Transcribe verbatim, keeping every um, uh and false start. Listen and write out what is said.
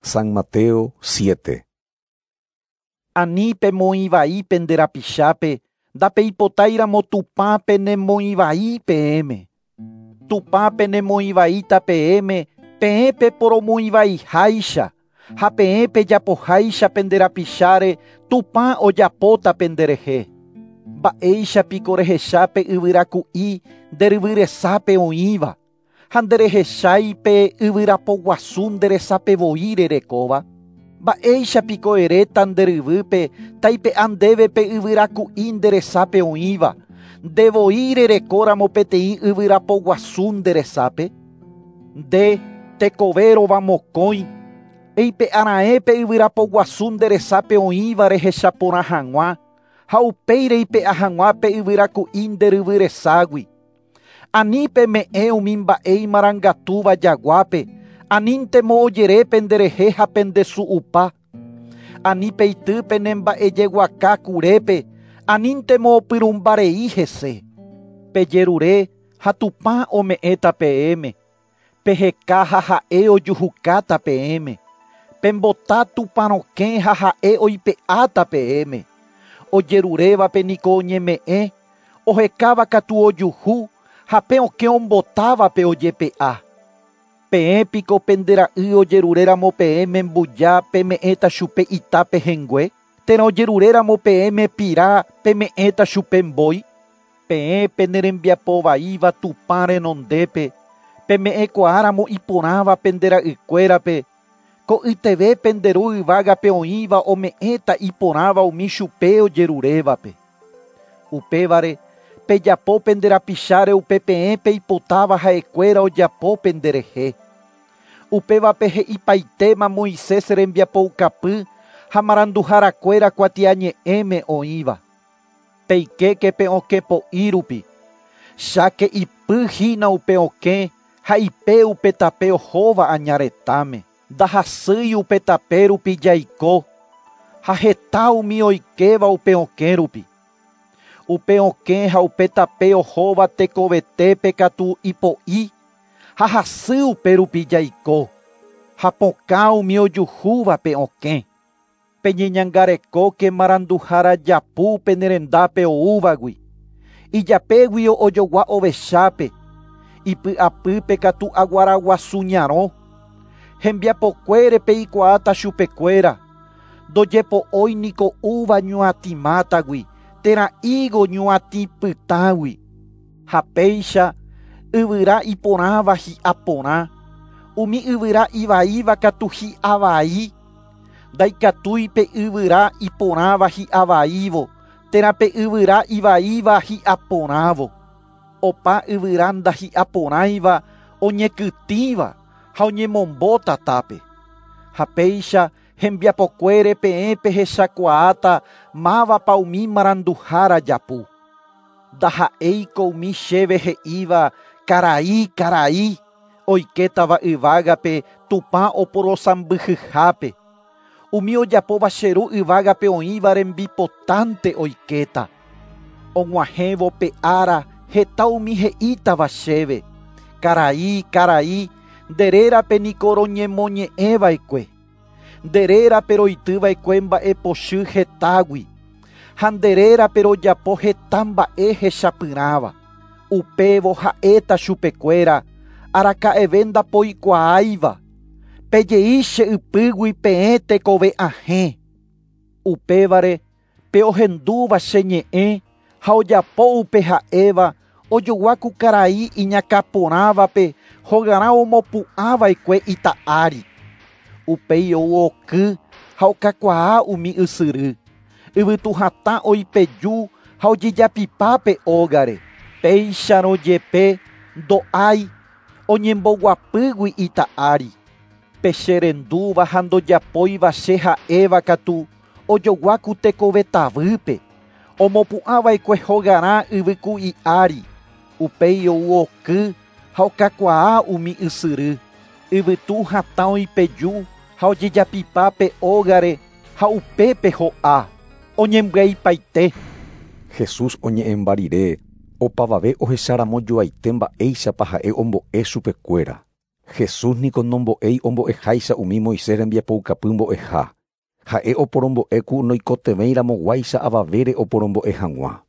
San Mateo siete. Ani pemoĩvai pende rapichápe, ndapeipotáiramo Tupã penemoĩvai peẽme. Tupã penemoĩvaíta peẽme, peẽ peporomoĩvaiháicha, ha peẽ pejapoháicha pende rapicháre, Tupã ojapóta penderehe. Mba'éichapiko rehecha pe yvyraku'i nde ryvyresápe oĩva, ha nderehechái pe yvyrapoguasu nderesapevoi rerekóva. Mba'éichapiko eréta nde ryvýpe taipe'a ndéve pe yvyraku'i nderesápe oĩva, ndevoi rerekóramo peteĩ yvyrapoguasu nderesápe. Nde tekovérova mokõi, eipe'ara'ẽ pe yvyrapoguasu nderesápe oĩva rehechaporã hag̃ua, ha upéi reipe'a hag̃ua pe yvyraku'i nde ryvyreságui. Ani peme'ẽ umi mba'e imarangatúva jaguápe, aníntemo ojere penderehe ha pendesu'upa. Ani peity pene mba'ejeguaka kurépe, aníntemo opyrũmbarei hese. Pejerure ha Tupã ome'ẽta peẽme, peheka ha ha'e ojuhukáta peẽme, pembota Tupã rokẽ ha ha'e oipe'áta peẽme. Ojerurévape niko oñeme'ẽ, ohekáva katu ojuhu, ha pe okẽ ombotávape ojepe'a. Peẽ piko pendera'y ojeruréramo peẽme mbuja peme'ẽta chupe ita pehẽngue, térã ojeruréramo peẽme pira peme'ẽta chupe mbói. Peẽ penerembiapovaíva Tupã renondépe, peme'ẽkuaáramo iporãva pendera'ykuérape, ko'yteve pende ru yvágape oĩva ome'ẽta iporãva umi chupe ojerurévape. Upévare, pejapo pende rapicháre upe peẽ peipotáva ha'ekuéra ojapo penderehe. Upévape he'ipaitéma Moisés rembiapoukapy ha maranduharakuéra kuatiañe'ẽme oĩva. Peikéke pe okẽ po'i rupi, cháke ipy hína upe okẽ ha ipe upe tape ohóva añaretãme. Ndahasýi upe tape rupi jaiko, ha heta umi oikéva upe okẽ rupi. Upe okẽ ha upe tape ohóva tekovetépe katu ipo'i, ha hasy upe rupi jaiko, ha pokã umi ojuhúva pe okẽ. Peñeñangarekóke maranduhára japu penerendápe oúvagui. Ijapéguio ojogua ovechápe, ipy'apýpe katu aguaraguasu ñarõ. Hembiapokuére peikuaáta chupekuéra, ndojepo'ói niko úva ñuatĩmátagui, térã higo ñuatĩpytãgui. Ha péicha yvyra iporãva hi'a porã, umi yvyra ivaíva katu hi'a vai. Ndaikatúi pe yvyra iporãva hi'a vaívo, térã pe yvyra ivaíva hi'a porãvo. Opa yvyra ndahi'aporãiva oñekytĩva ha oñemombo tatápe. Ha péicha hembiapokuére peẽ pehechakuaáta mávapa umi maranduhára japu. Ndaha'éiko umi chéve he'íva karai karai oikétava yvágape Tupã oporosãmbyhyhápe. Umi ojapóva che ru yvágape oĩva rembipotánte oikéta. Og̃uahẽvo pe ára heta umi he'ítava chéve, karai karai, nde rérape niko roñemoñe'ẽva'ekue. Nde rérape roityva'ekue mba'epochy hetágui, ha nde rérape rojapo heta mba'e hechapyrãva. Upévo ha'éta chupekuéra, araka'eve ndapoikuaáiva. Pejei che ypýgui peẽ tekove ahẽ. Upévare, pe ohendúva che ñe'ẽ ha ojapo upe ha'éva, ojogua ku karai iñakãporãvape hogarã omopu'ãva'ekue ita ári. Upéi ou oky ha okakuaa umi ysyry. Yvytu hatã oipeju ha ojejapipa pe ógare. Péicharõ jepe ndo'ái oñemboguapýgui ita ári. Pe cherendúva ha ndojapóiva che ha'éva katu ojogua ku tekovetavýpe, omopu'ãva'ekue hogarã yvyku'i ári. Upéi ou oky ha okakuaa umi ysyry. Yvytu hatã oipeju ha ojejapipa pe ógare ha upépe ho'a. Oñembyaipaite. Jesús oñe'ẽmba rire, opavave ohecharamo joaite mba'éichapa ha'e ombo'e chupekuéra. Jesús niko nombo'éi ombo'eháicha umi Moisés rembiapoukapy mbo'eha. Ha'e oporombo'éku noikotevẽiramoguáicha avavére oporombo'e hag̃ua.